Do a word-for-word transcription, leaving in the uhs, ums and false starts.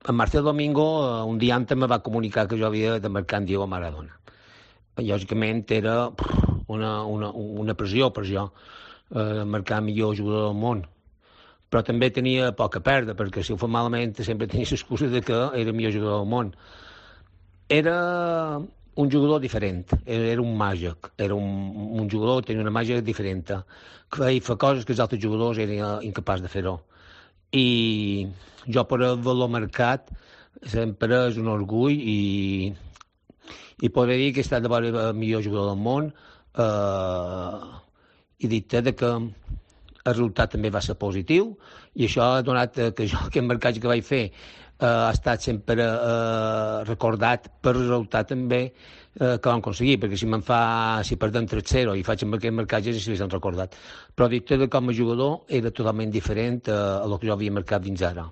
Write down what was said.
en Marcel Domingo eh, un dia antes me va comunicar que jo havia de marcar en Diego Maradona. Lògicament era una, una, una pressió per jo, eh, marcar el millor jugador del món. Però també tenia poc a perdre, perquè si ho fa malament sempre tenia l'excusa de que era el millor jugador del món. Era un jugador diferent, era un màgic, era un, un jugador que tenia una màgia diferent, que feia coses que els altres jugadors eren incapaços de fer-ho. I jo per haver-lo marcat sempre és un orgull i, i podré dir que he estat de veure el millor jugador del món eh, i dir-te que el resultat també va ser positiu i això ha donat que jo aquest marcatge que vaig fer eh, ha estat sempre eh, recordat per resultat també eh, que vam aconseguir, perquè si me'n fa, si perdem tres zero i faig amb aquest marcatge si s'han recordat. Però dit que com a jugador era totalment diferent a, a el que jo havia marcat fins ara.